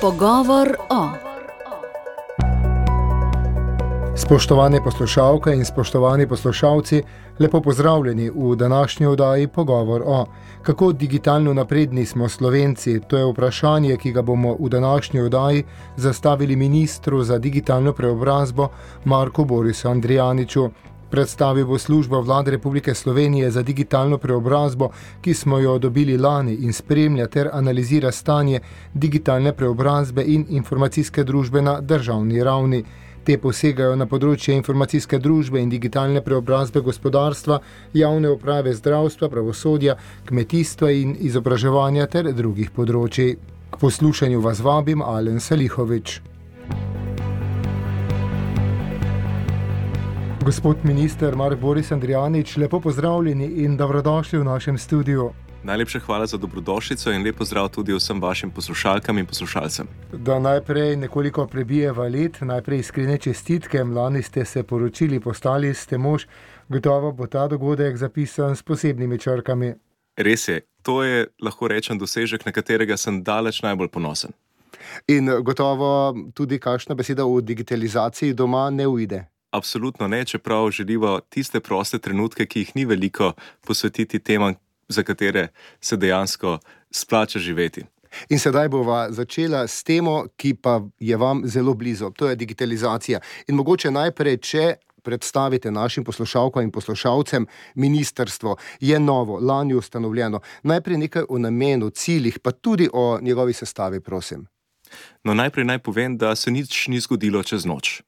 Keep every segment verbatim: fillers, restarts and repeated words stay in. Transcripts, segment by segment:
Pogovor o. Spoštovane poslušalke in spoštovani poslušalci, lepo pozdravljeni v današnji oddaji Pogovor o. Kako digitalno napredni smo Slovenci? To je vprašanje, ki ga bomo v današnji oddaji zastavili ministru za digitalno preobrazbo Marku Borisu Andrijaniču. Predstavil bo službo Vlade Republike Slovenije za digitalno preobrazbo, ki smo jo dobili lani in spremlja ter analizira stanje digitalne preobrazbe in informacijske družbe na državni ravni. Te posegajo na področje informacijske družbe in digitalne preobrazbe gospodarstva, javne uprave, zdravstva, pravosodja, kmetijstva in izobraževanja ter drugih področij. K poslušanju vas vabim Alen Salihovič. Gospod minister Mark Boris Andrijanič, lepo pozdravljeni in dobrodošli v našem studiu. Najlepša hvala za dobrodošlico in lep pozdrav tudi vsem vašim poslušalkam in poslušalcem. Da najprej nekoliko prebijeva let, najprej iskrene čestitke, lani ste se poročili, postali ste mož, gotovo bo ta dogodek zapisan s posebnimi črkami. Res je, to je, lahko rečem, dosežek, na katerega sem daleč najbolj ponosen. In gotovo tudi kakšna beseda o digitalizaciji doma ne uide. Absolutno ne, čeprav želivo tiste proste trenutke, ki jih ni veliko, posvetiti temam, za katere se dejansko splača živeti. In sedaj bova začela s temo, ki pa je vam zelo blizu, to je digitalizacija. In mogoče najprej, če predstavite našim poslušalkam in poslušalcem, ministrstvo je novo, lani ustanovljeno. Najprej nekaj o namenu, ciljih, pa tudi o njegovi sestavi, prosim. No, najprej naj povem, da se nič ni zgodilo čez noč.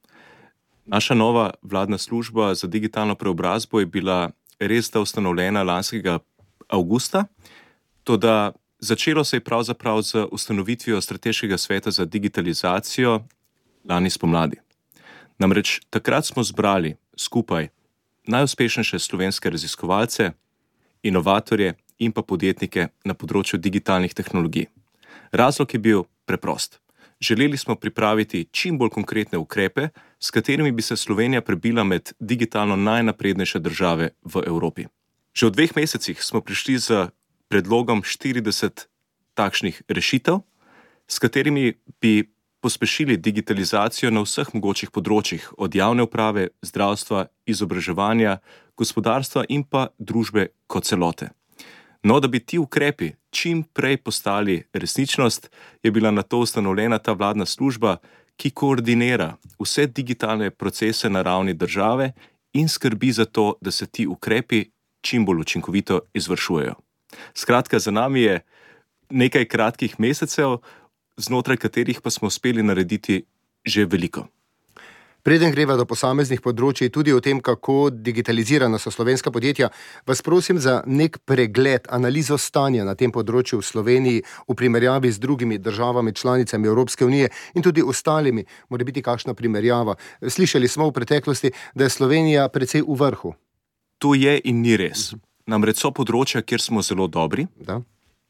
Naša nova vladna služba za digitalno preobrazbo je bila res da ustanovljena lanskega avgusta, toda začelo se je pravzaprav z ustanovitvijo Strateškega sveta za digitalizacijo lani spomladi. Namreč takrat smo zbrali skupaj najuspešnejše slovenske raziskovalce, inovatorje in pa podjetnike na področju digitalnih tehnologij. Razlog je bil preprost. Želeli smo pripraviti čim bolj konkretne ukrepe, s katerimi bi se Slovenija prebila med digitalno najnaprednejše države v Evropi. Že v dveh mesecih smo prišli z predlogom štirideset takšnih rešitev, s katerimi bi pospešili digitalizacijo na vseh mogočih področjih, od javne uprave, zdravstva, izobraževanja, gospodarstva in pa družbe kot celote. No, da bi ti ukrepi čim prej postali resničnost, je bila na to ustanovljena ta vladna služba, ki koordinira vse digitalne procese na ravni države in skrbi za to, da se ti ukrepi čim bolj učinkovito izvršujejo. Skratka, za nami je nekaj kratkih mesecev, znotraj katerih pa smo uspeli narediti že veliko. Preden greva do posameznih področij, tudi o tem, kako digitalizirana so slovenska podjetja, vas prosim za nek pregled, analizo stanja na tem področju v Sloveniji v primerjavi z drugimi državami članicami Evropske unije in tudi ostalimi, mora biti kakšna primerjava. Slišali smo v preteklosti, da je Slovenija precej v vrhu. To je in ni res. Namreč so področja, kjer smo zelo dobri, da.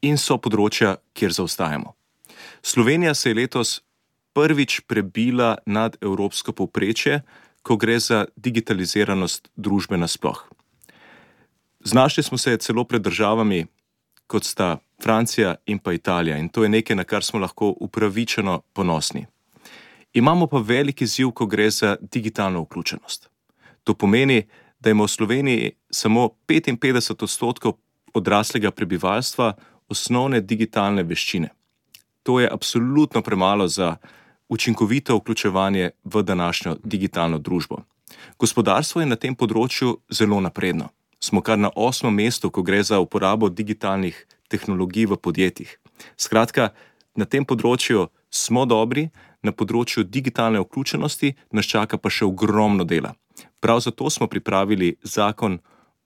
In so področja, kjer zaostajamo. Slovenija se je letos prvič prebila nad evropsko povprečje, ko gre za digitaliziranost družbe nasploh. Znašli smo se celo pred državami, kot sta Francija in pa Italija, in to je nekaj, na kar smo lahko upravičeno ponosni. Imamo pa velik izziv, ko gre za digitalno vključenost. To pomeni, da ima v Sloveniji samo petinpetdeset odstotkov odraslega prebivalstva osnovne digitalne veščine. To je absolutno premalo za učinkovito vključevanje v današnjo digitalno družbo. Gospodarstvo je na tem področju zelo napredno. Smo kar na osmem mestu, ko gre za uporabo digitalnih tehnologij v podjetjih. Skratka, na tem področju smo dobri, na področju digitalne vključenosti nas čaka pa še ogromno dela. Prav zato smo pripravili zakon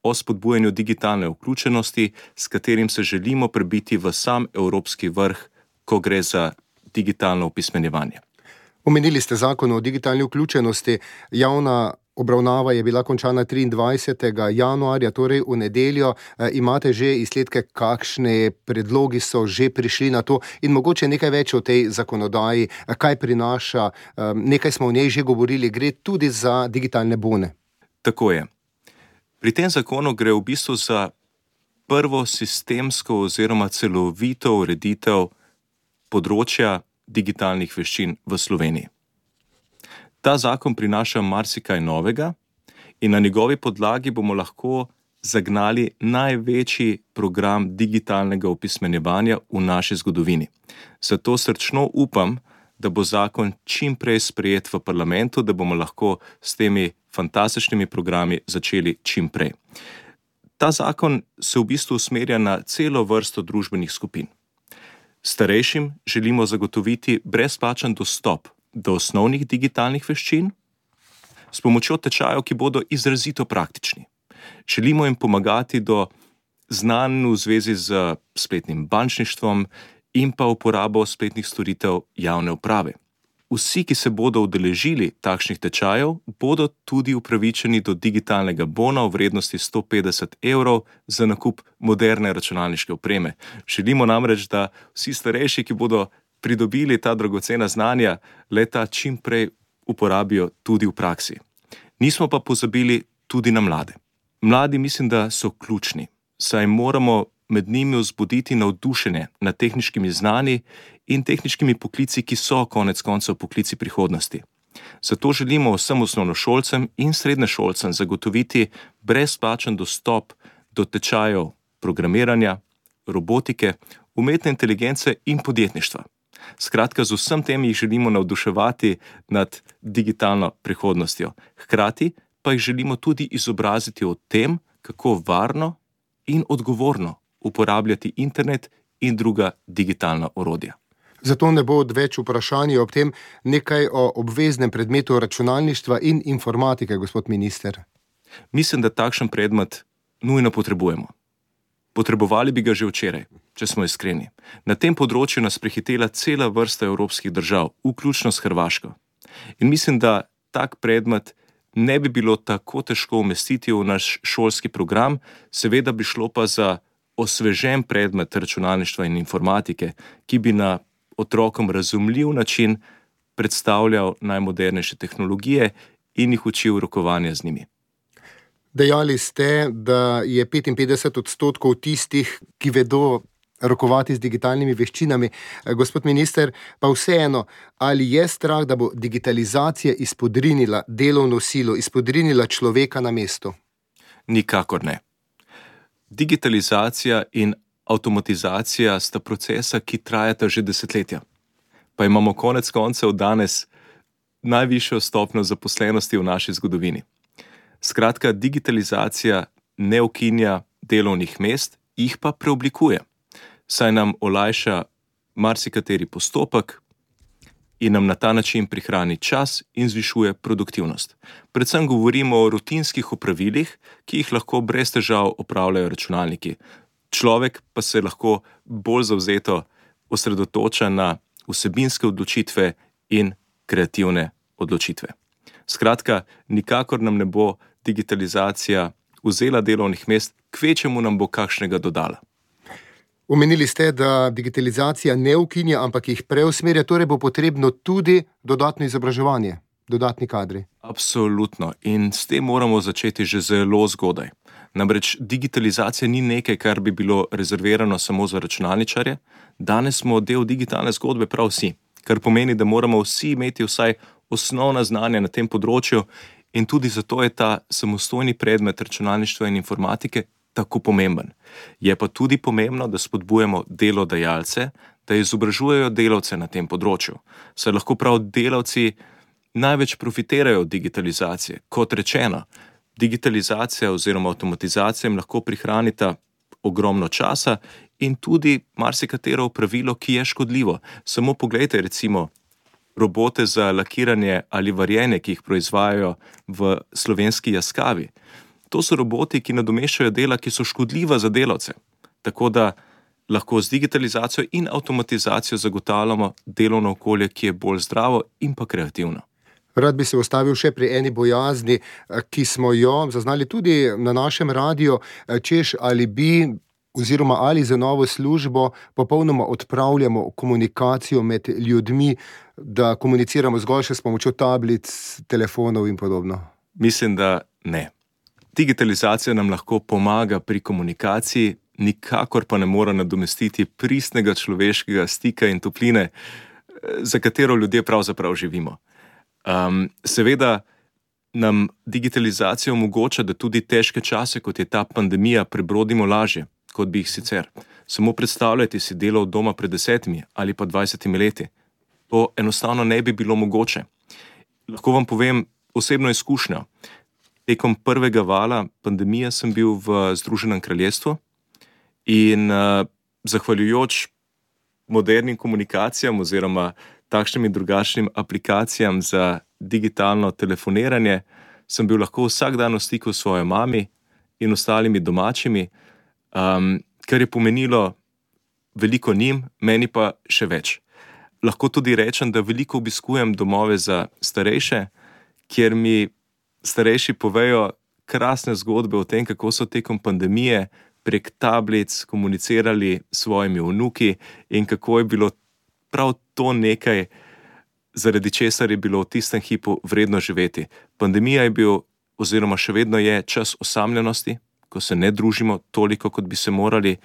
o spodbujanju digitalne vključenosti, s katerim se želimo prebiti v sam evropski vrh, ko gre za digitalno opismenjevanje. Omenili ste zakon o digitalni vključenosti. Javna obravnava je bila končana triindvajsetega januarja, torej v nedeljo. E, imate že izsledke, kakšne predlogi so že prišli na to in mogoče nekaj več o tej zakonodaji, kaj prinaša, e, nekaj smo o njej že govorili, gre tudi za digitalne bone. Tako je. Pri tem zakonu gre v bistvu za prvo sistemsko oziroma celovito ureditev področja digitalnih veščin v Sloveniji. Ta zakon prinaša marsikaj novega in na njegovi podlagi bomo lahko zagnali največji program digitalnega opismenjevanja v naši zgodovini. Zato srčno upam, da bo zakon čim prej sprejet v parlamentu, da bomo lahko s temi fantastičnimi programi začeli čim prej. Ta zakon se v bistvu usmerja na celo vrsto družbenih skupin. Starejšim želimo zagotoviti brezplačen dostop do osnovnih digitalnih veščin s pomočjo tečajev, ki bodo izrazito praktični. Želimo jim pomagati do znanj v zvezi z spletnim bančništvom in pa uporabo spletnih storitev javne uprave. Vsi, ki se bodo udeležili takšnih tečajev, bodo tudi upravičeni do digitalnega bona v vrednosti sto petdeset evrov za nakup moderne računalniške opreme. Želimo namreč, da vsi starejši, ki bodo pridobili ta dragocena znanja, le-ta čim prej uporabijo tudi v praksi. Nismo pa pozabili tudi na mlade. Mladi mislim, da so ključni, saj moramo med njimi vzbuditi navdušenje nad tehničkimi znanji in tehničkimi poklici, ki so konec koncev poklici prihodnosti. Zato želimo vsem osnovnošolcem in srednješolcem zagotoviti brezplačen dostop do tečajev programiranja, robotike, umetne inteligence in podjetništva. Skratka, z vsem tem jih želimo navduševati nad digitalno prihodnostjo. Hkrati pa jih želimo tudi izobraziti o tem, kako varno in odgovorno uporabljati internet in druga digitalna orodja. Zato ne bo odveč vprašanje ob tem nekaj o obveznem predmetu računalništva in informatike, gospod minister. Mislim, da takšen predmet nujno potrebujemo. Potrebovali bi ga že včeraj, če smo iskreni. Na tem področju nas prehitela cela vrsta evropskih držav, vključno s Hrvaško. In mislim, da tak predmet ne bi bilo tako težko umestiti v naš šolski program, seveda bi šlo pa za osvežen predmet računalništva in informatike, ki bi na otrokom razumljiv način predstavljal najmodernejše tehnologije in jih učil rokovanja z njimi. Dejali ste, da je petinpetdeset odstotkov tistih, ki vedo rokovati z digitalnimi veščinami. Gospod minister, pa vseeno, ali je strah, da bo digitalizacija izpodrinila delovno silo, izpodrinila človeka na mestu? Nikakor ne. Digitalizacija in avtomatizacija sta procesa, ki trajata že desetletja. Pa imamo konec koncev danes najvišjo stopnjo zaposlenosti v naši zgodovini. Skratka, digitalizacija ne ukinja delovnih mest, jih pa preoblikuje, saj nam olajša marsikateri postopek in nam na ta način prihrani čas in zvišuje produktivnost. Predvsem govorimo o rutinskih opravilih, ki jih lahko brez težav opravljajo računalniki. Človek pa se lahko bolj zavzeto osredotoča na vsebinske odločitve in kreativne odločitve. Skratka, nikakor nam ne bo digitalizacija vzela delovnih mest, kvečemu nam bo kakšnega dodala. Omenili ste, da digitalizacija ne ukinja, ampak jih preusmerja, torej bo potrebno tudi dodatno izobraževanje, dodatni kadri. Absolutno. In s tem moramo začeti že zelo zgodaj. Namreč digitalizacija ni nekaj, kar bi bilo rezervirano samo za računalničarje. Danes smo del digitalne zgodbe prav vsi, kar pomeni, da moramo vsi imeti vsaj osnovna znanja na tem področju in tudi zato je ta samostojni predmet računalništva in informatike tako pomemben. Je pa tudi pomembno, da spodbujamo delodajalce, da izobražujejo delavce na tem področju. Saj lahko prav delavci največ profitirajo od digitalizacije. Kot rečeno, digitalizacija oziroma avtomatizacija jim lahko prihranita ogromno časa in tudi marsikatero opravilo, ki je škodljivo. Samo poglejte recimo robote za lakiranje ali varjenje, ki jih proizvajajo v slovenski Jaskavi. To so roboti, ki nadomeščajo dela, ki so škodljiva za delavce. Tako da lahko z digitalizacijo in avtomatizacijo zagotavljamo delovno okolje, ki je bolj zdravo in pa kreativno. Rad bi se ustavil še pri eni bojazni, ki smo jo zaznali tudi na našem radiju, češ ali bi oziroma ali za novo službo popolnoma odpravljamo komunikacijo med ljudmi, da komuniciramo zgolj še s pomočjo tablic, telefonov in podobno. Mislim, da ne. Digitalizacija nam lahko pomaga pri komunikaciji, nikakor pa ne more nadomestiti pristnega človeškega stika in topline. za katero ljudje pravzaprav živimo. Um, seveda nam digitalizacija omogoča, da tudi težke čase, kot je ta pandemija, prebrodimo lažje, kot bi jih sicer. Samo predstavljajte si delo od doma pred desetimi ali pa dvajsetimi leti. To enostavno ne bi bilo mogoče. Lahko vam povem osebno izkušnjo. Tekom prvega vala pandemije sem bil v Združenem kraljestvu in uh, zahvaljujoč modernim komunikacijam oziroma takšnim in drugačnim aplikacijam za digitalno telefoniranje sem bil lahko vsak dan v stiku s svojo mami in ostalimi domačimi, um, kar je pomenilo veliko njim, meni pa še več. Lahko tudi rečem, da veliko obiskujem domove za starejše, kjer mi starejši povejo krasne zgodbe o tem, kako so tekom pandemije prek tablic komunicirali s svojimi vnuki in kako je bilo prav to nekaj, zaradi česar je bilo v tistem hipu vredno živeti. Pandemija je bil oziroma še vedno je čas osamljenosti, ko se ne družimo toliko, kot bi se morali,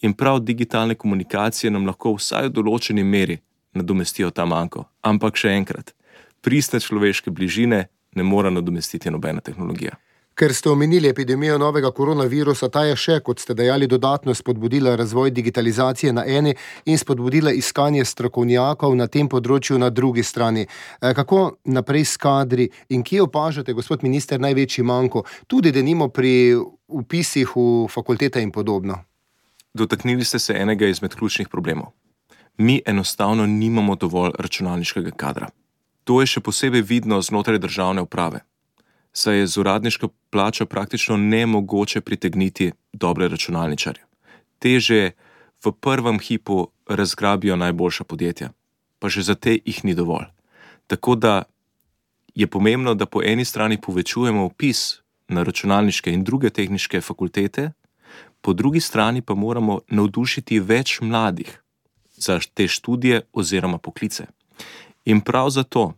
in prav digitalne komunikacije nam lahko vsaj v določeni meri nadomestijo ta manko. Ampak še enkrat, pristne človeške bližine ne mora nadomestiti nobena tehnologija. Ker ste omenili epidemijo novega koronavirusa, ta je še, kot ste dejali, dodatno spodbudila razvoj digitalizacije na eni in spodbudila iskanje strokovnjakov na tem področju na drugi strani. Kako naprej s kadri in kje opažate, gospod minister, največji manko, tudi denimo pri vpisih v fakultete in podobno? Dotaknili ste se enega izmed ključnih problemov. Mi enostavno nimamo dovolj računalniškega kadra. To je še posebej vidno znotraj državne uprave, saj je z uradniško plačo praktično nemogoče pritegniti dobre računalničarje. Te že v prvem hipu razgrabijo najboljša podjetja, pa že za te jih ni dovolj. Tako da je pomembno, da po eni strani povečujemo vpis na računalniške in druge tehniške fakultete, po drugi strani pa moramo navdušiti več mladih za te študije oziroma poklice. In prav zato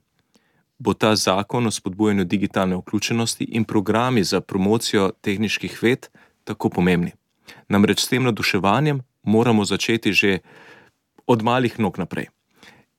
bo ta zakon o spodbujanju digitalne vključenosti in programi za promocijo tehniških ved tako pomembni. Namreč s tem navduševanjem moramo začeti že od malih nog naprej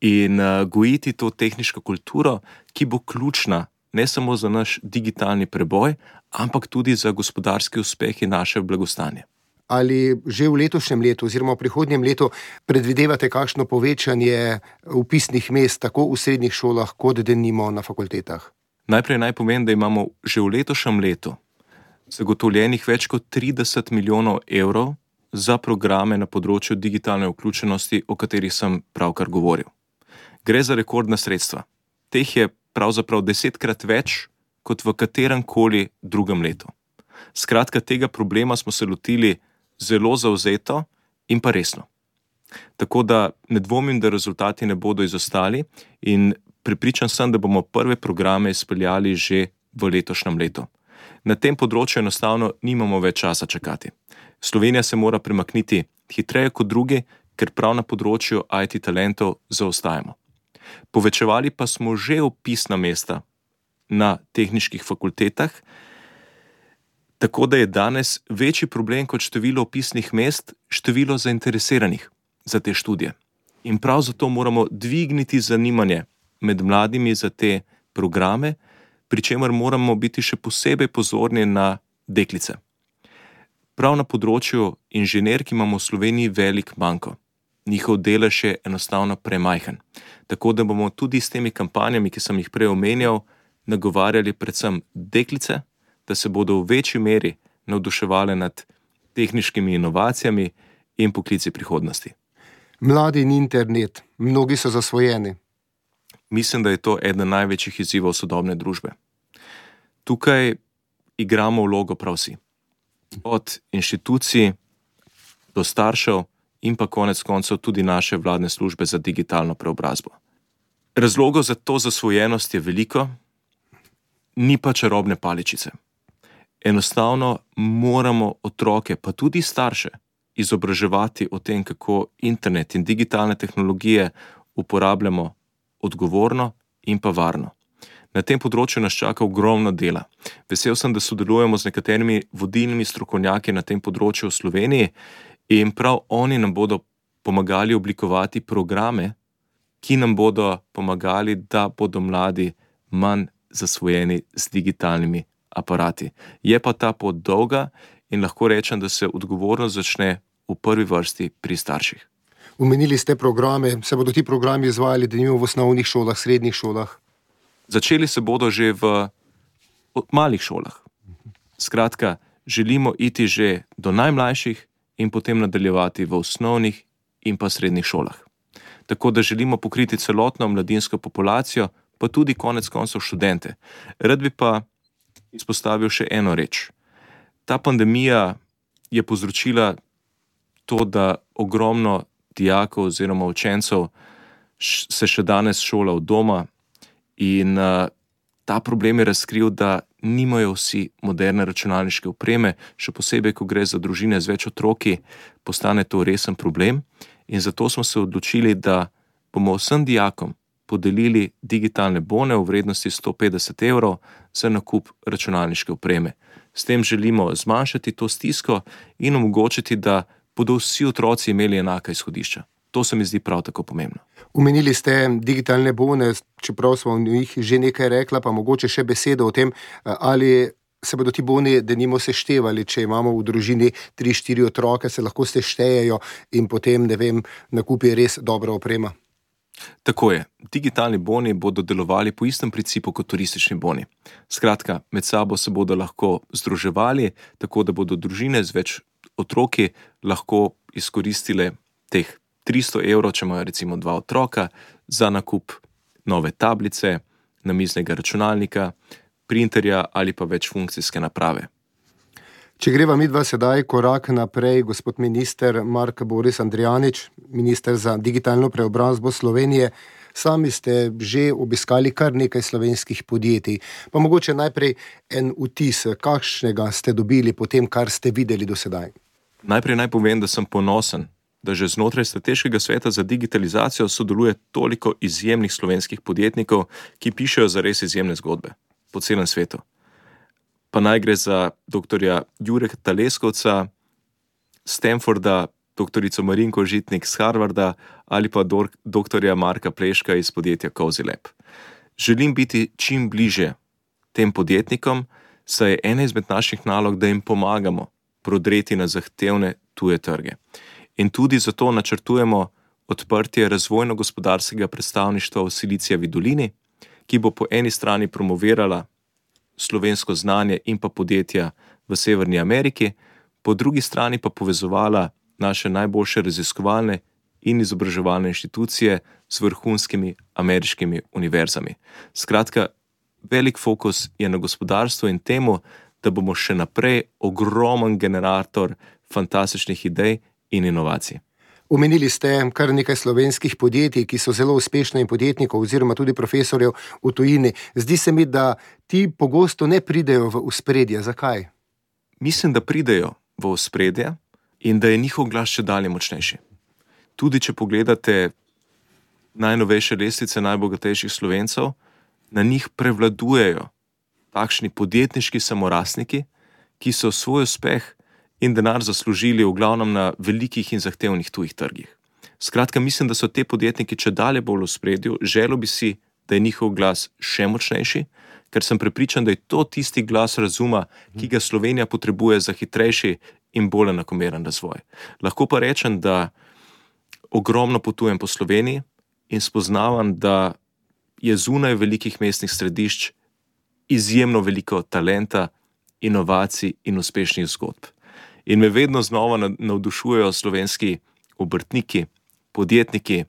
in uh, gojiti to tehniško kulturo, ki bo ključna ne samo za naš digitalni preboj, ampak tudi za gospodarski uspeh in naše blagostanje. Ali že v letošnjem letu oziroma v prihodnjem letu predvidevate kakšno povečanje vpisnih mest tako v srednjih šolah, kot denimo na fakultetah? Najprej naj povem, da imamo že v letošnjem letu zagotovljenih več kot trideset milijonov evrov za programe na področju digitalne vključenosti, o katerih sem pravkar govoril. Gre za rekordna sredstva. Teh je pravzaprav desetkrat več kot v katerem koli drugem letu. Skratka, tega problema smo se lotili zelo zavzeto in pa resno. Tako da ne dvomim, da rezultati ne bodo izostali in prepričan sem, da bomo prve programe izpeljali že v letošnjem letu. Na tem področju enostavno nimamo več časa čakati. Slovenija se mora premakniti hitreje kot drugi, ker prav na področju I T talentov zaostajamo. Povečevali pa smo že vpisna mesta na tehniških fakultetah, tako da je danes večji problem kot število vpisnih mest število zainteresiranih za te študije. In prav zato moramo dvigniti zanimanje med mladimi za te programe, pri čemer moramo biti še posebej pozorni na deklice. Prav na področju inženirk imamo v Sloveniji velik manko. Njihov delež je enostavno premajhen. Tako da bomo tudi s temi kampanjami, ki sem jih prej omenjal, nagovarjali predvsem deklice, da se bodo v večji meri navduševali nad tehniškimi inovacijami in poklici prihodnosti. Mladi in internet, mnogi so zasvojeni. Mislim, da je to eden največjih izzivov sodobne družbe. Tukaj igramo vlogo prav vsi. Od inštitucij do staršev in pa konec koncev tudi naše vladne službe za digitalno preobrazbo. Razlogov za to zasvojenost je veliko, ni pa čarobne paličice. Enostavno moramo otroke, pa tudi starše, izobraževati o tem, kako internet in digitalne tehnologije uporabljamo odgovorno in pa varno. Na tem področju nas čaka ogromno dela. Vesel sem, da sodelujemo z nekaterimi vodilnimi strokovnjaki na tem področju v Sloveniji in prav oni nam bodo pomagali oblikovati programe ki nam bodo pomagali, da bodo mladi manj zasvojeni z digitalnimi aparati. Je pa ta pot dolga in lahko rečem, da se odgovornost začne v prvi vrsti pri starših. Omenili ste programe, se bodo ti programi izvajali denimo v osnovnih šolah, srednjih šolah? Začeli se bodo že v malih šolah. Skratka, želimo iti že do najmlajših in potem nadaljevati v osnovnih in pa srednjih šolah. Tako da želimo pokriti celotno mladinsko populacijo, pa tudi konec koncev študente. Rad bi pa izpostavil še eno reč. Ta pandemija je povzročila to, da ogromno dijakov oziroma učencev se še danes šola od doma in uh, ta problem je razkril, da nimajo vsi moderne računalniške opreme, še posebej, ko gre za družine z več otroki, postane to resen problem in zato smo se odločili, da bomo vsem dijakom podelili digitalne bone v vrednosti sto petdeset evrov za nakup računalniške opreme. S tem želimo zmanjšati to stisko in omogočiti, da bodo vsi otroci imeli enaka izhodišča. To se mi zdi prav tako pomembno. Omenili ste digitalne bone, čeprav smo o njih že nekaj rekla, pa mogoče še besedo o tem, ali se bodo ti boni denimo seštevali, če imamo v družini tri, štiri otroke, se lahko seštejejo in potem, ne vem, nakupi res dobra oprema. Tako je. Digitalni boni bodo delovali po istem principu kot turistični boni. Skratka, med sabo se bodo lahko združevali, tako da bodo družine z več otroki lahko izkoristile teh tristo evrov, če imajo recimo dva otroka, za nakup nove tablice, namiznega računalnika, printerja ali pa večfunkcijske naprave. Če greva midva sedaj korak naprej, gospod minister Mark Boris Andrijanič, minister za digitalno preobrazbo Slovenije, sami ste že obiskali kar nekaj slovenskih podjetij. Pa mogoče najprej en vtis, kakšnega ste dobili po tem, kar ste videli do sedaj? Najprej naj povem, da sem ponosen, da že znotraj Strateškega sveta za digitalizacijo sodeluje toliko izjemnih slovenskih podjetnikov, ki pišejo zares izjemne zgodbe po celem svetu. Pa naj gre za doktorja Jureta Leskovca, Stanforda, doktorico Marinko Žitnik z Harvarda ali pa doktorja Marka Pleška iz podjetja Cozy Lab. Želim biti čim bliže tem podjetnikom, saj je ena izmed naših nalog, da jim pomagamo prodreti na zahtevne tuje trge. In tudi zato načrtujemo odprtje razvojno-gospodarskega predstavništva v Silicijevi dolini, ki bo po eni strani promovirala slovensko znanje in pa podjetja v Severni Ameriki, po drugi strani pa povezovala naše najboljše raziskovalne in izobraževalne inštitucije s vrhunskimi ameriškimi univerzami. Skratka, velik fokus je na gospodarstvu in temu, da bomo še naprej ogromen generator fantastičnih idej in inovacij. Omenili ste kar nekaj slovenskih podjetij, ki so zelo uspešne in podjetnikov oziroma tudi profesorjev v tujini. Zdi se mi, da ti pogosto ne pridejo v ospredje. Zakaj? Mislim, da pridejo v ospredje in da je njihov glas še dalje močnejši. Tudi če pogledate najnovejše lestvice najbogatejših Slovencev, na njih prevladujejo takšni podjetniški samorastniki, ki so svoj uspeh in denar zaslužili v glavnem na velikih in zahtevnih tujih trgih. Skratka, mislim, da so te podjetniki če dalje bolj v ospredju, želel bi si, da je njihov glas še močnejši, ker sem prepričan, da je to tisti glas razuma, ki ga Slovenija potrebuje za hitrejši in bolj enakomeren razvoj. Lahko pa rečem, da ogromno potujem po Sloveniji in spoznavam, da je zunaj velikih mestnih središč izjemno veliko talenta, inovacij in uspešnih zgodb. In me vedno znova navdušujejo slovenski obrtniki, podjetniki,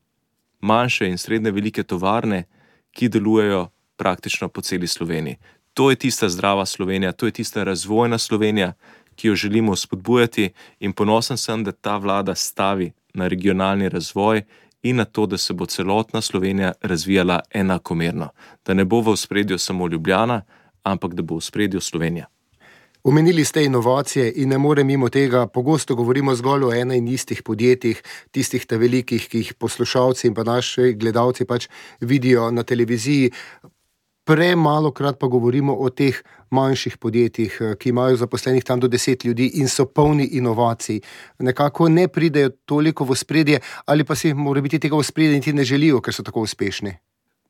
manjše in srednje velike tovarne, ki delujejo praktično po celi Sloveniji. To je tista zdrava Slovenija, to je tista razvojna Slovenija, ki jo želimo spodbujati in ponosen sem, da ta vlada stavi na regionalni razvoj in na to, da se bo celotna Slovenija razvijala enakomerno. Da ne bo v ospredju samo Ljubljana, ampak da bo v ospredju Slovenija. Omenili ste inovacije in ne morem mimo tega, pogosto govorimo zgolj o ena in istih podjetjih, tistih te velikih, ki jih poslušalci in pa naši gledalci pač vidijo na televiziji. premalo krat pa govorimo o teh manjših podjetjih, ki imajo zaposlenih tam do deset ljudi in so polni inovacij. Nekako ne pridejo toliko v ospredje, ali pa si mora biti tega v ospredje niti ne želijo, ker so tako uspešni.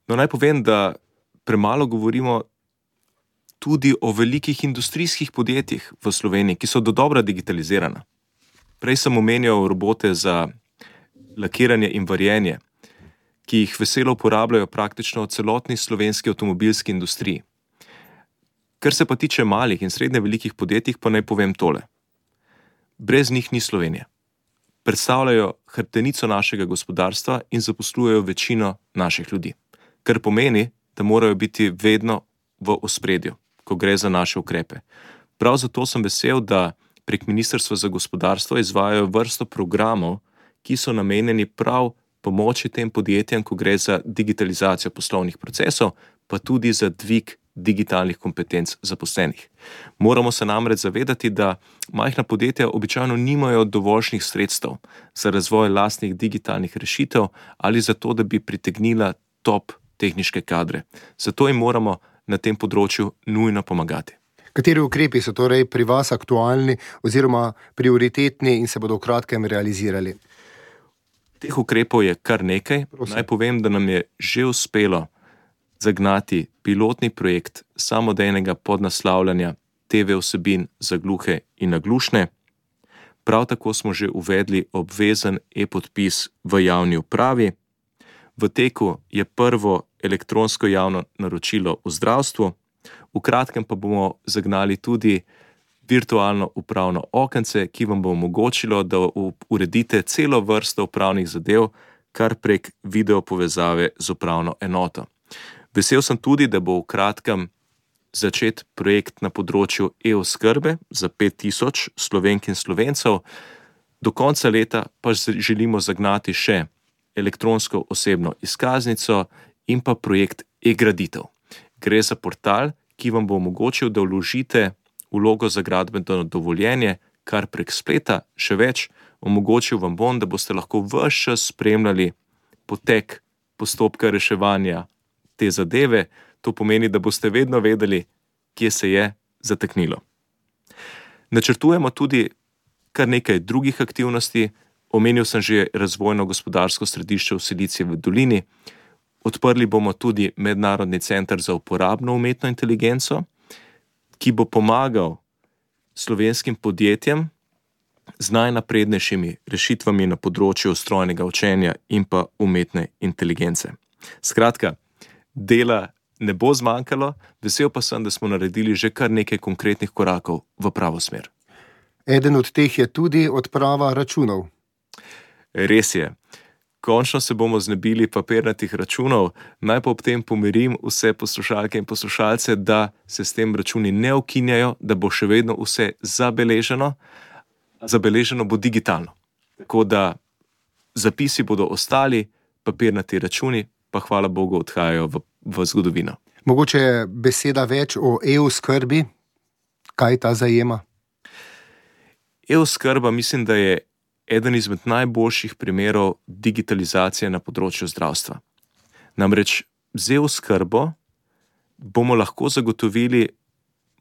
No, naj povem, da premalo govorimo tudi o velikih industrijskih podjetjih v Sloveniji, ki so dodobra digitalizirana. Prej sem omenjal robote za lakiranje in varjenje, ki jih veselo uporabljajo praktično v celotni slovenski avtomobilski industriji. Kar se pa tiče malih in srednje velikih podjetij, pa naj povem tole. Brez njih ni Slovenije. Predstavljajo hrbtenico našega gospodarstva in zaposlujejo večino naših ljudi. Kar pomeni, da morajo biti vedno v ospredju, ko gre za naše ukrepe. Prav zato sem vesel, da prek Ministrstva za gospodarstvo izvajajo vrsto programov, ki so namenjeni prav pomoči tem podjetjem, ko gre za digitalizacijo poslovnih procesov, pa tudi za dvig digitalnih kompetenc zaposlenih. Moramo se namreč zavedati, da majhna podjetja običajno nimajo dovoljšnih sredstev za razvoj lastnih digitalnih rešitev ali za to, da bi pritegnila top tehniške kadre. Zato jim moramo na tem področju nujno pomagati. Kateri ukrepi so torej pri vas aktualni oziroma prioritetni in se bodo v kratkem realizirali? Teh ukrepov je kar nekaj. Prosim. Naj povem, da nam je že uspelo zagnati pilotni projekt samodejnega podnaslavljanja te ve vsebin za gluhe in naglušne. Prav tako smo že uvedli obvezen e-podpis v javni upravi. V teku je prvo elektronsko javno naročilo v zdravstvu. V kratkem pa bomo zagnali tudi virtualno upravno okence, ki vam bo omogočilo, da uredite celo vrsto upravnih zadev kar prek video povezave z upravno enoto. Vesel sem tudi, da bo v kratkem začet projekt na področju e-oskrbe za pet tisoč Slovenk in Slovencev. Do konca leta pa želimo zagnati še elektronsko osebno izkaznico in pa projekt e-graditev. Gre za portal, ki vam bo omogočil, da vložite vlogo za gradbeno dovoljenje kar prek spleta, še več, omogočil vam bom, da boste lahko ves čas spremljali potek postopka reševanja te zadeve. To pomeni, da boste vedno vedeli, kje se je zataknilo. Načrtujemo tudi kar nekaj drugih aktivnosti. Omenil sem že razvojno gospodarsko središče v Silicijevi dolini. Odprli bomo tudi Mednarodni center za uporabno umetno inteligenco, ki bo pomagal slovenskim podjetjem z najnaprednejšimi rešitvami na področju strojnega učenja in pa umetne inteligence. Skratka, dela ne bo zmanjkalo, vesel pa sem, da smo naredili že kar nekaj konkretnih korakov v pravo smer. Eden od teh je tudi odprava računov. Res je. Končno se bomo znebili papirnatih računov. Naj pa ob tem pomirim vse poslušalke in poslušalce, da se s tem računi ne ukinjajo, da bo še vedno vse zabeleženo. Zabeleženo bo digitalno. Tako da zapisi bodo ostali, papirnati računi pa hvala Bogu odhajajo v, v zgodovino. Mogoče beseda več o e-oskrbi? Kaj ta zajema? E-oskrba mislim, da je eden izmed najboljših primerov digitalizacije na področju zdravstva. Namreč z e-oskrbo bomo lahko zagotovili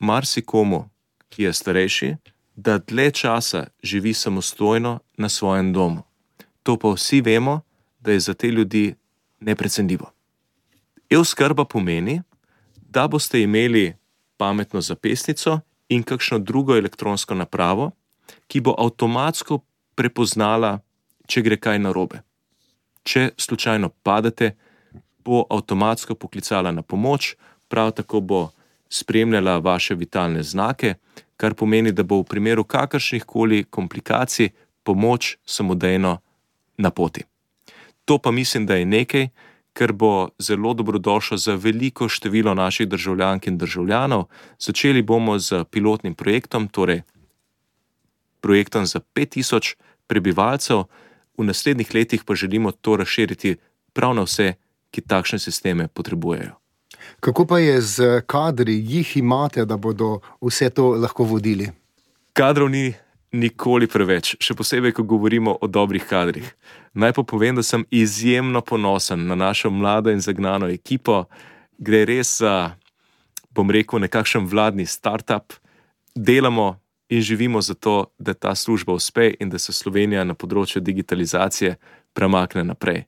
marsikomu, ki je starejši, da dlje časa živi samostojno na svojem domu. To pa vsi vemo, da je za te ljudi neprecenljivo. E-oskrba pomeni, da boste imeli pametno zapestnico in kakšno drugo elektronsko napravo, ki bo avtomatsko prepoznala, če gre kaj narobe. Če slučajno padete, bo avtomatsko poklicala na pomoč, prav tako bo spremljala vaše vitalne znake, kar pomeni, da bo v primeru kakršnihkoli komplikacij pomoč samodejno na poti. To pa mislim, da je nekaj, kar bo zelo dobrodošlo za veliko število naših državljank in državljanov. Začeli bomo z pilotnim projektom, torej projektom za pet tisoč prebivalcev, v naslednjih letih pa želimo to razširiti prav na vse, ki takšne sisteme potrebujejo. Kako pa je z kadri, jih imate, da bodo vse to lahko vodili? Kadrov ni nikoli preveč, še posebej, ko govorimo o dobrih kadrih. Naj pa povem, da sem izjemno ponosen na našo mlado in zagnano ekipo Gre res za, bom rekel, nekakšen vladni startup. Delamo in živimo za to, da ta služba uspe in da se Slovenija na področju digitalizacije premakne naprej.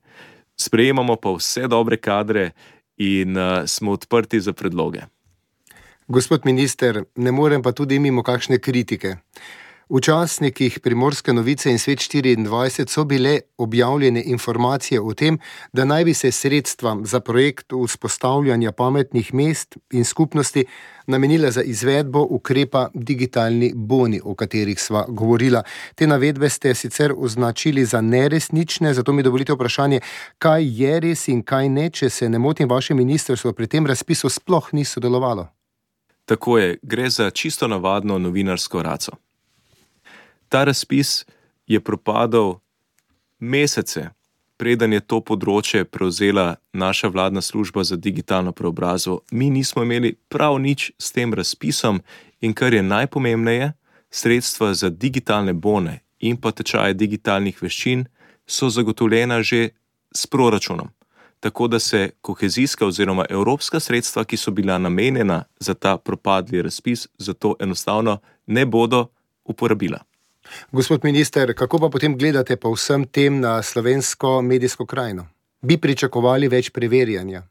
Sprejemamo pa vse dobre kadre in uh, smo odprti za predloge. Gospod minister, ne morem pa tudi mimo kakšne kritike. V časnikih Primorske novice in Svet štiriindvajset so bile objavljene informacije o tem, da naj bi se sredstva za projekt vzpostavljanja pametnih mest in skupnosti namenila za izvedbo ukrepa digitalni boni, o katerih sva govorila. Te navedbe ste sicer označili za neresnične, zato mi dovolite vprašanje, kaj je res in kaj ne, če se ne motim, vaše ministrstvo pri tem razpisu sploh ni sodelovalo. Tako je, gre za čisto navadno novinarsko raco. Ta razpis je propadal mesece, preden je to področje prevzela naša vladna služba za digitalno preobrazbo. Mi nismo imeli prav nič s tem razpisom in kar je najpomembneje, sredstva za digitalne bone in pa tečaje digitalnih veščin so zagotovljena že s proračunom. Tako da se kohezijska oziroma evropska sredstva, ki so bila namenjena za ta propadli razpis, zato enostavno ne bodo uporabila. Gospod minister, kako pa potem gledate po vsem tem na slovensko medijsko krajino? Bi pričakovali več preverjanja?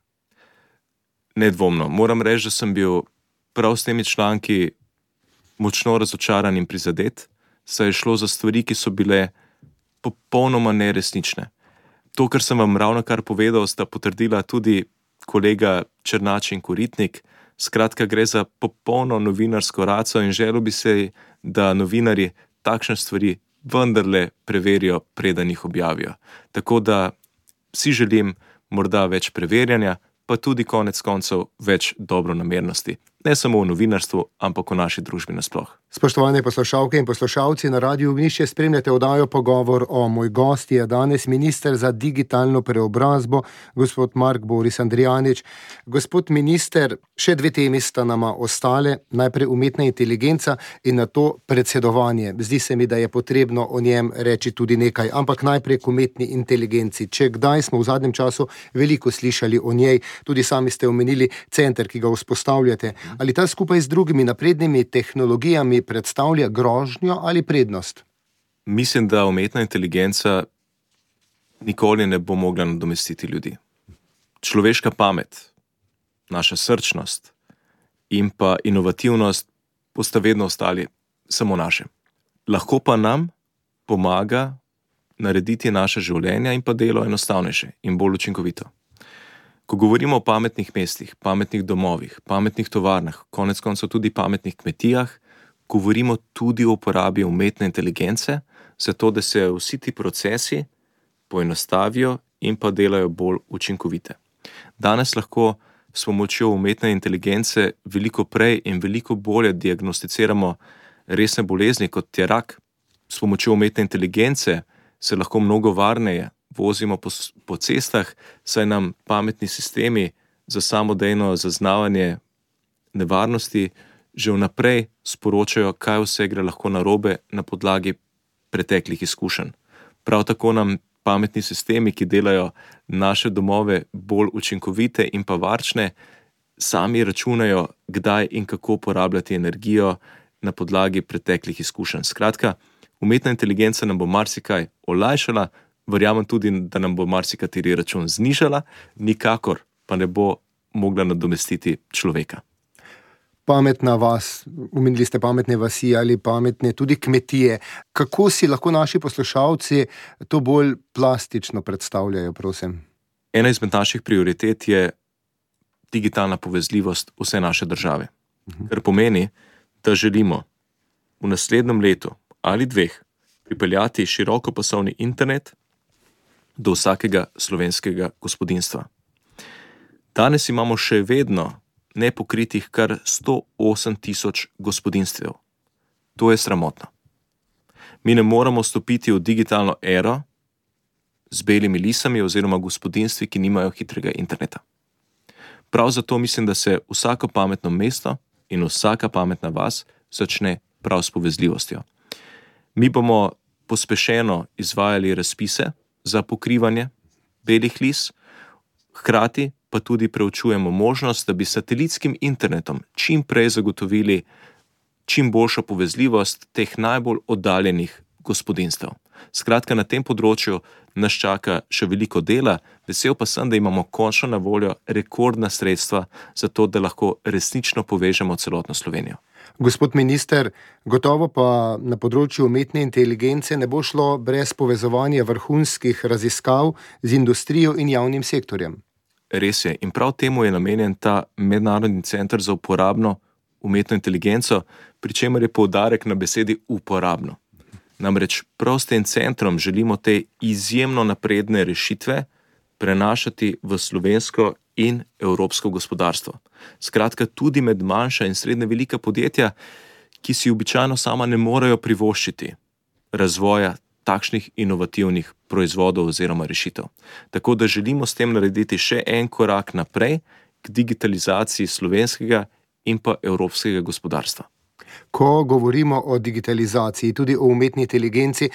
Nedvomno. Moram reči, da sem bil prav s temi članki močno razočaran in prizadet, saj je šlo za stvari, ki so bile popolnoma neresnične. To, kar sem vam ravno kar povedal, sta potrdila tudi kolega Černač in Koritnik. Skratka, gre za popolno novinarsko raco in želel bi se, da novinarji takšne stvari vendarle preverijo, preden jih objavijo. Tako da si želim morda več preverjanja, pa tudi konec koncev več dobronamernosti. Ne samo v novinarstvu, ampak v naši družbi nasploh. Spoštovane poslušalke in poslušalci, na Radiu Ognjišče spremljate oddajo Pogovor o. Moj gost je danes minister za digitalno preobrazbo, gospod Mark Boris Andrijanič. Gospod minister, še dve temi sta nama ostale, najprej umetna inteligenca in nato predsedovanje. Zdi se mi, da je potrebno o njem reči tudi nekaj, ampak najprej k umetni inteligenci. Če kdaj smo v zadnjem času veliko slišali o njej, tudi sami ste omenili center, ki ga vzpostavljate. Ali ta skupaj z drugimi naprednimi tehnologijami predstavlja grožnjo ali prednost? Mislim, da umetna inteligenca nikoli ne bo mogla nadomestiti ljudi. Človeška pamet, naša srčnost in pa inovativnost bosta vedno ostali samo naše. Lahko pa nam pomaga narediti naše življenja in pa delo enostavnejše in bolj učinkovito. Ko govorimo o pametnih mestih, pametnih domovih, pametnih tovarnah, konec koncev tudi pametnih kmetijah, govorimo tudi o uporabi umetne inteligence, zato da se vsi ti procesi poenostavijo in pa delajo bolj učinkovite. Danes lahko s pomočjo umetne inteligence veliko prej in veliko bolje diagnosticiramo resne bolezni, kot je rak. S pomočjo umetne inteligence se lahko mnogo varneje vozimo po, po cestah, saj nam pametni sistemi za samodejno zaznavanje nevarnosti že vnaprej sporočajo, kaj vse gre lahko narobe na podlagi preteklih izkušenj. Prav tako nam pametni sistemi, ki delajo naše domove bolj učinkovite in pa varčne, sami računajo, kdaj in kako uporabljati energijo na podlagi preteklih izkušenj. Skratka, umetna inteligenca nam bo marsikaj olajšala, verjamem tudi, da nam bo marsikateri račun znižala, nikakor pa ne bo mogla nadomestiti človeka. Pametna vas, omenili ste pametne vasi ali pametne tudi kmetije. Kako si lahko naši poslušalci to bolj plastično predstavljajo, prosim? Ena izmed naših prioritet je digitalna povezljivost vse naše države. Uh-huh. Kar pomeni, da želimo v naslednjem letu ali dveh pripeljati širokopasovni internet do vsakega slovenskega gospodinjstva. Danes imamo še vedno nepokritih kar sto osem tisoč gospodinjstev. To je sramotno. Mi ne moramo stopiti v digitalno ero z belimi lisami oziroma gospodinjstvi, ki nimajo hitrega interneta. Prav zato mislim, da se vsako pametno mesto in vsaka pametna vas začne prav s povezljivostjo. Mi bomo pospešeno izvajali razpise za pokrivanje belih lis, hkrati pa tudi preučujemo možnost, da bi satelitskim internetom čim prej zagotovili čim boljšo povezljivost teh najbolj oddaljenih gospodinjstev. Skratka, na tem področju nas čaka še veliko dela, vesel pa sem, da imamo končno na voljo rekordna sredstva za to, da lahko resnično povežemo celotno Slovenijo. Gospod minister, gotovo pa na področju umetne inteligence ne bo šlo brez povezovanja vrhunskih raziskav z industrijo in javnim sektorjem. Res je, in prav temu je namenjen ta Mednarodni center za uporabno umetno inteligenco, pri čemer je poudarek na besedi uporabno. Namreč prav s tem centrom želimo te izjemno napredne rešitve prenašati v slovensko in evropsko gospodarstvo. Skratka, tudi med manjša in srednje velika podjetja, ki si običajno sama ne morejo privoščiti razvoja takšnih inovativnih proizvodov oziroma rešitev. Tako da želimo s tem narediti še en korak naprej k digitalizaciji slovenskega in pa evropskega gospodarstva. Ko govorimo o digitalizaciji, tudi o umetni inteligenci,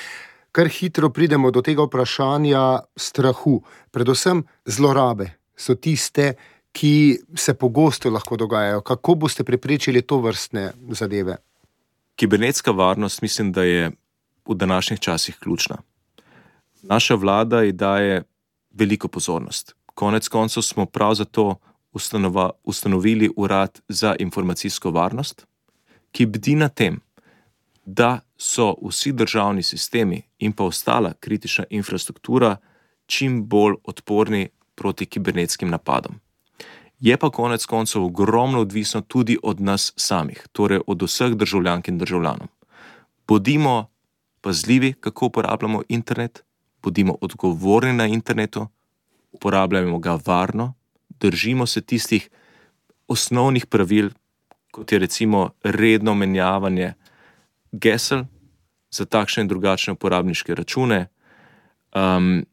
kar hitro pridemo do tega vprašanja strahu. Predvsem zlorabe so tiste, ki se pogosto lahko dogajajo. Kako boste preprečili to vrstne zadeve? Kibernetska varnost mislim, da je v današnjih časih ključna. Naša vlada ji daje veliko pozornost. Konec koncev smo prav zato ustanova, ustanovili Urad za informacijsko varnost, ki bdi na tem, da so vsi državni sistemi in pa ostala kritična infrastruktura čim bolj odporni proti kibernetskim napadom. Je pa konec koncev ogromno odvisno tudi od nas samih, torej od vseh državljank in državljanov. Bodimo pazljivi, kako uporabljamo internet, bodimo odgovorni na internetu, uporabljamo ga varno, držimo se tistih osnovnih pravil, kot je recimo redno menjavanje gesel za takšne in drugačne uporabniške račune, um,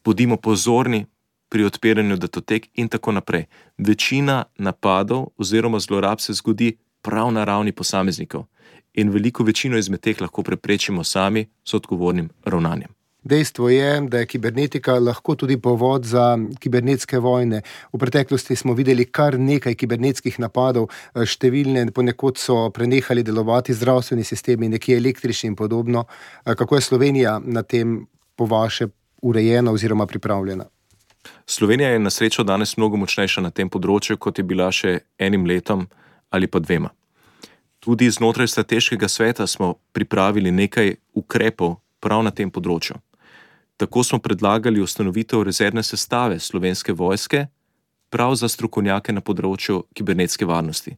bodimo pozorni pri odpiranju datotek in tako naprej. Večina napadov oziroma zlorab se zgodi prav na ravni posameznikov in veliko večino izmed teh lahko preprečimo sami s odgovornim ravnanjem. Dejstvo je, da je kibernetika lahko tudi povod za kibernetske vojne. V preteklosti smo videli kar nekaj kibernetskih napadov, številne ponekod so prenehali delovati zdravstveni sistemi, nekje električni in podobno. Kako je Slovenija na tem po vaše urejena oziroma pripravljena? Slovenija je na srečo danes mnogo močnejša na tem področju, kot je bila še enim letom ali pa dvema. Tudi znotraj strateškega sveta smo pripravili nekaj ukrepov prav na tem področju. Tako smo predlagali ustanovitev rezervne sestave Slovenske vojske prav za strokovnjake na področju kibernetske varnosti.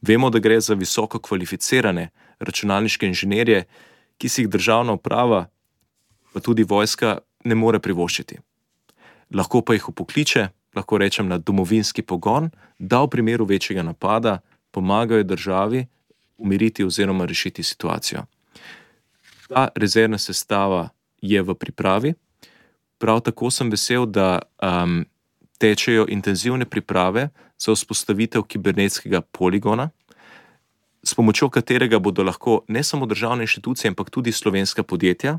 Vemo, da gre za visoko kvalificirane računalniške inženirje, ki si jih državna uprava, pa tudi vojska, ne more privoščiti. Lahko pa jih upokliče, lahko rečem na domovinski pogon, da v primeru večjega napada pomagajo državi umiriti oziroma rešiti situacijo. Ta rezervna sestava je v pripravi. Prav tako sem vesel, da um, tečejo intenzivne priprave za vzpostavitev kibernetskega poligona, s pomočjo katerega bodo lahko ne samo državne inštitucije, ampak tudi slovenska podjetja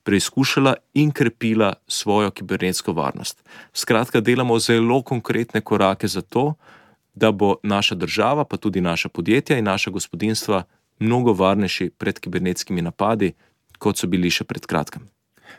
preizkušala in krepila svojo kibernetsko varnost. Skratka, delamo zelo konkretne korake za to, da bo naša država, pa tudi naša podjetja in naša gospodinjstva mnogo varnejši pred kibernetskimi napadi, kot so bili še pred kratkim.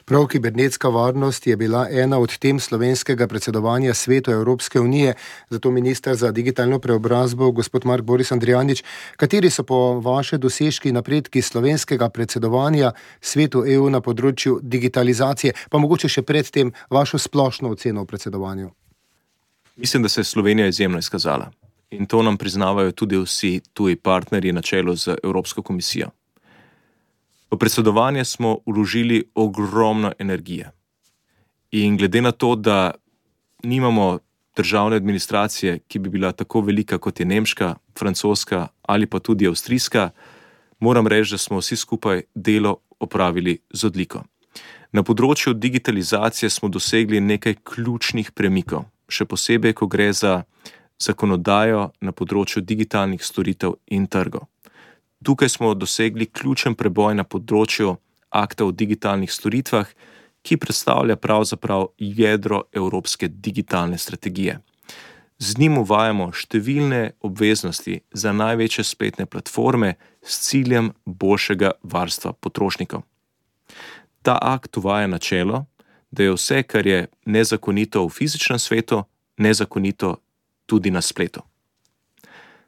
Prav kibernetska varnost je bila ena od tem slovenskega predsedovanja Svetu Evropske unije, zato minister za digitalno preobrazbo, gospod Mark Boris Andrijanič, kateri so po vaše dosežki napredki slovenskega predsedovanja Svetu E U na področju digitalizacije, pa mogoče še predtem vašo splošno oceno v predsedovanju? Mislim, da se je Slovenija izjemno izkazala in to nam priznavajo tudi vsi tuji partnerji na čelu z Evropsko komisijo. V predsedovanje smo vložili ogromno energije in glede na to, da nimamo državne administracije, ki bi bila tako velika kot je nemška, francoska ali pa tudi avstrijska, moram reči, da smo vsi skupaj delo opravili z odliko. Na področju digitalizacije smo dosegli nekaj ključnih premikov, še posebej, ko gre za zakonodajo na področju digitalnih storitev in trgov. Tukaj smo dosegli ključen preboj na področju akta o digitalnih storitvah, ki predstavlja pravzaprav jedro evropske digitalne strategije. Z njim uvajamo številne obveznosti za največje spletne platforme s ciljem boljšega varstva potrošnikov. Ta akt uvaja načelo, da je vse, kar je nezakonito v fizičnem svetu, nezakonito tudi na spletu.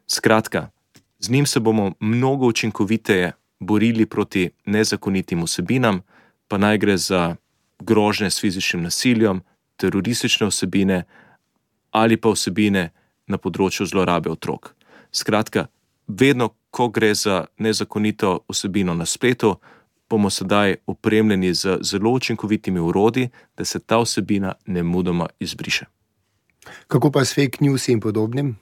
Skratka, z njim se bomo mnogo učinkoviteje borili proti nezakonitim vsebinam, pa naj gre za grožnje s fizičnim nasiljem, teroristične vsebine ali pa vsebine na področju zlorabe otrok. Skratka, vedno, ko gre za nezakonito vsebino na spletu, bomo sedaj opremljeni z zelo učinkovitimi orodji, da se ta vsebina nemudoma izbriše. Kako pa s fake news in podobnim?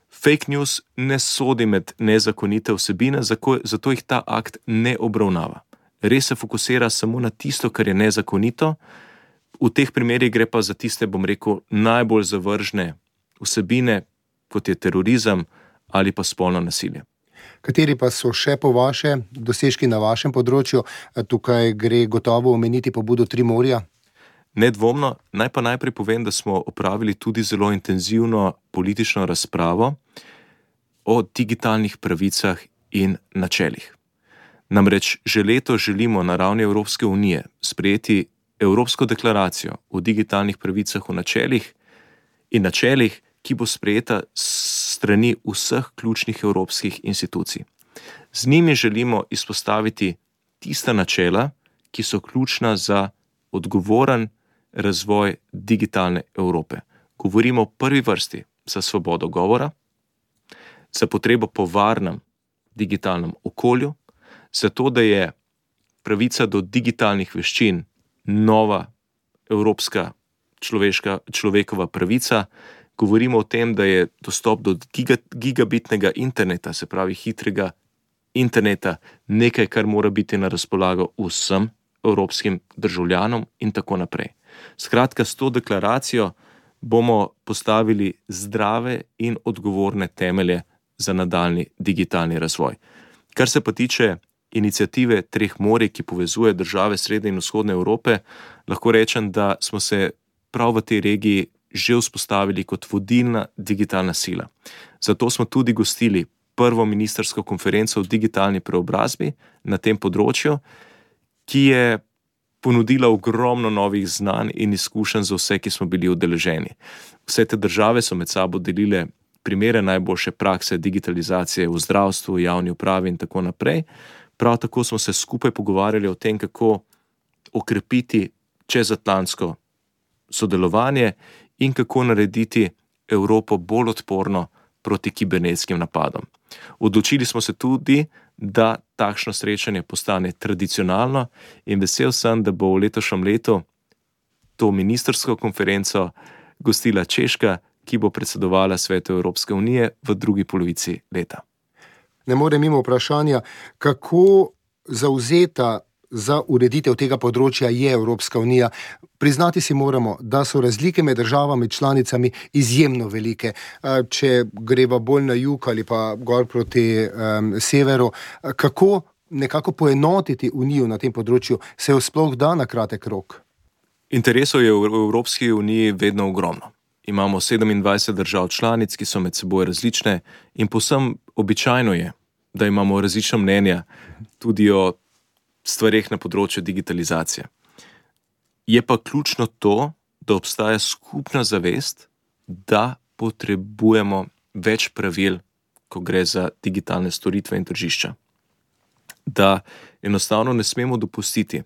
Fake news ne sodi med nezakonite vsebine, zato jih ta akt ne obravnava. Res se fokusira samo na tisto, kar je nezakonito. V teh primerih gre pa za tiste, bom rekel, najbolj zavržne vsebine, kot je terorizem ali pa spolno nasilje. Kateri pa so še po vaše dosežki na vašem področju? Tukaj gre gotovo omeniti pobudo Tri morja. Nedvomno, naj pa najprej povem, da smo opravili tudi zelo intenzivno politično razpravo o digitalnih pravicah in načelih. Namreč že leto želimo na ravni Evropske unije sprejeti Evropsko deklaracijo o digitalnih pravicah v načelih in načelih, ki bo sprejeta strani vseh ključnih evropskih institucij. Z njimi želimo izpostaviti tista načela, ki so ključna za odgovoren razvoj digitalne Evrope. Govorimo v prvi vrsti za svobodo govora, za potrebo po varnem digitalnem okolju, za to, da je pravica do digitalnih veščin nova evropska človeška, človekova pravica. Govorimo o tem, da je dostop do giga, gigabitnega interneta, se pravi hitrega interneta, nekaj, kar mora biti na razpolago vsem evropskim državljanom in tako naprej. Skratka, s to deklaracijo bomo postavili zdrave in odgovorne temelje za nadaljnji digitalni razvoj. Kar se pa tiče iniciative Treh morij, ki povezuje države Srednje in Vzhodne Evrope, lahko rečem, da smo se prav v tej regiji že vzpostavili kot vodilna digitalna sila. Zato smo tudi gostili prvo ministrsko konferenco o digitalni preobrazbi na tem področju, ki je ponudila ogromno novih znanj in izkušenj za vse, ki smo bili udeleženi. Vse te države so med sabo delile primere najboljše prakse digitalizacije v zdravstvu, javni upravi in tako naprej. Prav tako smo se skupaj pogovarjali o tem, kako okrepiti čezatlantsko sodelovanje in kako narediti Evropo bolj odporno proti kibernetskim napadom. Odločili smo se tudi, da takšno srečanje postane tradicionalno in vesel sem, da bo v letošnjem letu to ministrsko konferenco gostila Češka, ki bo predsedovala Svetu Evropske unije v drugi polovici leta. Ne morem mimo vprašanja, kako zavzeta za ureditev tega področja je Evropska unija. Priznati si moramo, da so razlike med državami članicami izjemno velike. Če greva bolj na jug ali pa gor proti um, severu, kako nekako poenotiti unijo na tem področju, se jo sploh da na kratek rok? Interesov je v Evropski uniji vedno ogromno. Imamo sedemindvajset držav članic, ki so med seboj različne in povsem običajno je, da imamo različna mnenja tudi o stvareh na področju digitalizacije. Je pa ključno to, da obstaja skupna zavest, da potrebujemo več pravil, ko gre za digitalne storitve in tržišča. Da enostavno ne smemo dopustiti,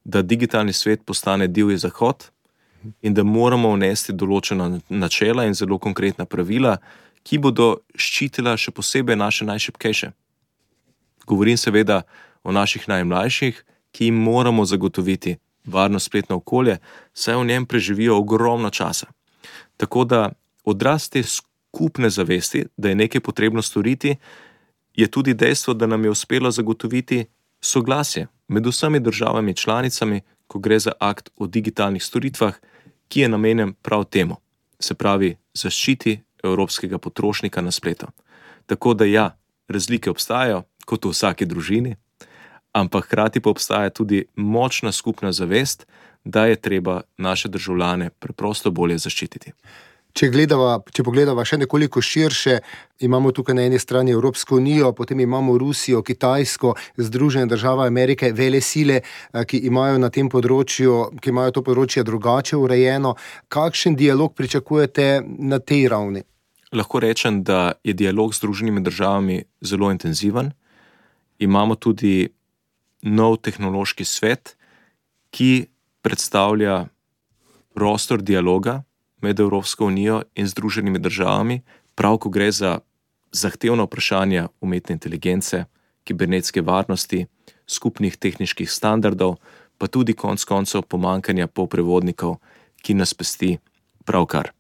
da digitalni svet postane divji zahod in da moramo vnesti določena načela in zelo konkretna pravila, ki bodo ščitila še posebej naše najšibkejše. Govorim seveda o naših najmlajših, ki jim moramo zagotoviti varno spletno okolje, saj v njem preživijo ogromno časa. Tako da odraz te skupne zavesti, da je nekaj potrebno storiti, je tudi dejstvo, da nam je uspelo zagotoviti soglasje med vsemi državami članicami, ko gre za akt o digitalnih storitvah, ki je namenjen prav temu, se pravi zaščiti evropskega potrošnika na spletu. Tako da ja, razlike obstajajo, kot v vsaki družini, ampak hkrati pa obstaja tudi močna skupna zavest, da je treba naše državljane preprosto bolje zaščititi. Če, gledava, če pogledava še nekoliko širše, imamo tukaj na eni strani Evropsko unijo, potem imamo Rusijo, Kitajsko, Združene države Amerike, vele sile, ki imajo na tem področju, ki imajo to področje drugače urejeno. Kakšen dialog pričakujete na tej ravni? Lahko rečem, da je dialog z Združenimi državami zelo intenziven. Imamo tudi nov tehnološki svet, ki predstavlja prostor dialoga med Evropsko unijo in Združenimi državami, prav ko gre za zahtevna vprašanja umetne inteligence, kibernetske varnosti, skupnih tehničnih standardov, pa tudi konec koncev pomanjkanja polprevodnikov, ki nas pesti pravkar.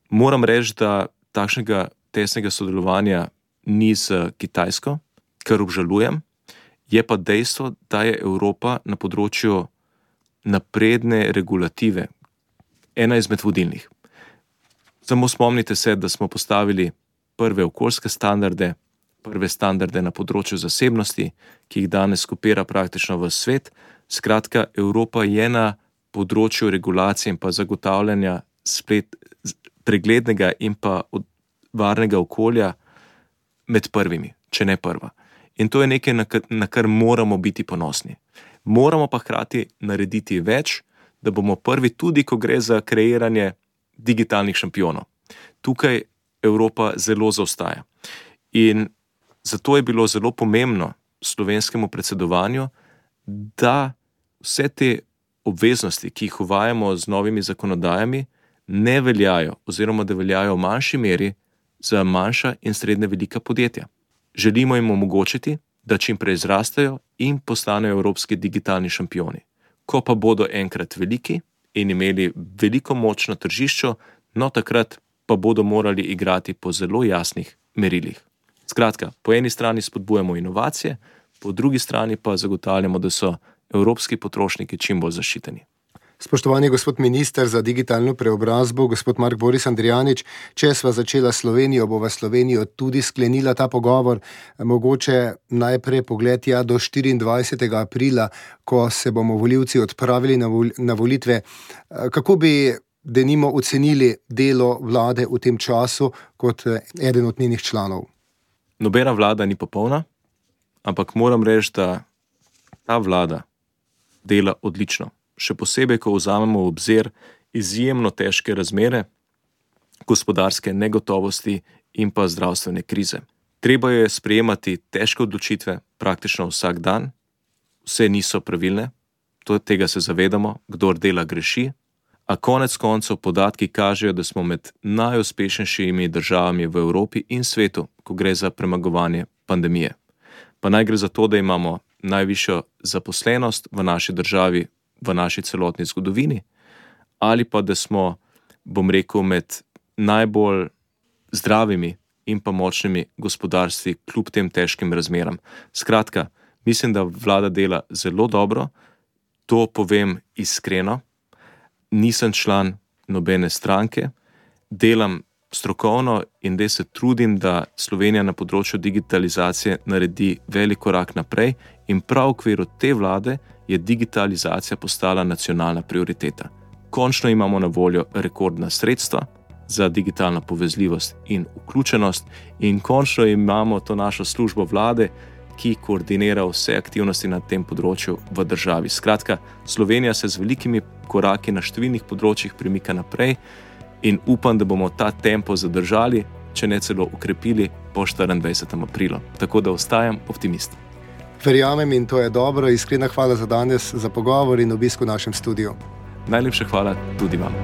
Moram reči, da takšnega tesnega sodelovanja ni z Kitajsko, kar obžalujem, je pa dejstvo, da je Evropa na področju napredne regulative ena izmed vodilnih. Samo spomnite se, da smo postavili prve okoljske standarde, prve standarde na področju zasebnosti, ki jih danes kopira praktično v svet. Skratka, Evropa je na področju regulacije in pa zagotavljanja splet, preglednega in pa varnega okolja med prvimi, če ne prva. In to je nekaj, na kar moramo biti ponosni. Moramo pa hkrati narediti več, da bomo prvi tudi, ko gre za kreiranje digitalnih šampionov. Tukaj Evropa zelo zaostaja. In zato je bilo zelo pomembno slovenskemu predsedovanju, da vse te obveznosti, ki jih uvajamo z novimi zakonodajami, ne veljajo oziroma da veljajo v manjši meri za manjša in srednje velika podjetja. Želimo jim omogočiti, da čim prej zrastejo in postanejo evropski digitalni šampioni. Ko pa bodo enkrat veliki in imeli veliko moč na tržišču, no takrat pa bodo morali igrati po zelo jasnih merilih. Skratka, po eni strani spodbujamo inovacije, po drugi strani pa zagotavljamo, da so evropski potrošniki čim bolj zaščiteni. Spoštovani gospod minister za digitalno preobrazbo, gospod Mark Boris Andrijanič, če sva začela Slovenijo, bova Slovenijo tudi sklenila ta pogovor. Mogoče najprej pogled ja do štiriindvajsetega aprila, ko se bomo volivci odpravili na, vol, na volitve. Kako bi denimo ocenili delo vlade v tem času kot eden od njenih članov? Nobena vlada ni popolna, ampak moram reči, da ta vlada dela odlično. Še posebej, ko vzamemo v obzir izjemno težke razmere, gospodarske negotovosti in pa zdravstvene krize. Treba je sprejemati težke odločitve praktično vsak dan, vse niso pravilne, to, tega se zavedamo, kdor dela greši, a konec koncev podatki kažejo, da smo med najuspešnejšimi državami v Evropi in svetu, ko gre za premagovanje pandemije. Pa naj gre za to, da imamo najvišjo zaposlenost v naši državi, v naši celotni zgodovini, ali pa da smo, bom rekel, med najbolj zdravimi in pa močnimi gospodarstvi kljub tem težkim razmeram. Skratka, mislim, da vlada dela zelo dobro, to povem iskreno, nisem član nobene stranke, delam strokovno in da se trudim, da Slovenija na področju digitalizacije naredi velik korak naprej in prav v okviru te vlade je digitalizacija postala nacionalna prioriteta. Končno imamo na voljo rekordna sredstva za digitalno povezljivost in vključenost in končno imamo to našo službo vlade, ki koordinira vse aktivnosti na tem področju v državi. Skratka, Slovenija se z velikimi koraki na številnih področjih premika naprej in upam, da bomo ta tempo zadržali, če ne celo ukrepili po štiriindvajsetega aprila. Tako da ostajam optimist. Verjamem in to je dobro. Iskrena hvala za danes, za pogovor in obisk v našem studiu. Najlepša hvala tudi vam.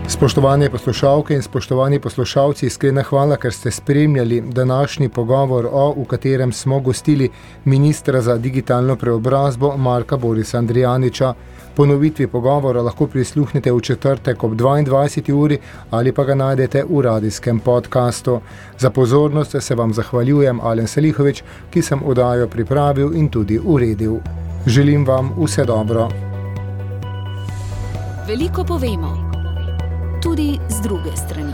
Spoštovane poslušalke in spoštovani poslušalci, iskrena hvala, ker ste spremljali današnji pogovor o, v katerem smo gostili ministra za digitalno preobrazbo Marka Borisa Andrijaniča. Ponovitvi pogovora lahko prisluhnete v četrtek ob dvaindvajseti uri ali pa ga najdete v radijskem podkastu. Za pozornost se vam zahvaljujem, Alen Selihovič, ki sem oddajo pripravil in tudi uredil. Želim vam vse dobro. Veliko povemo, tudi z druge strani.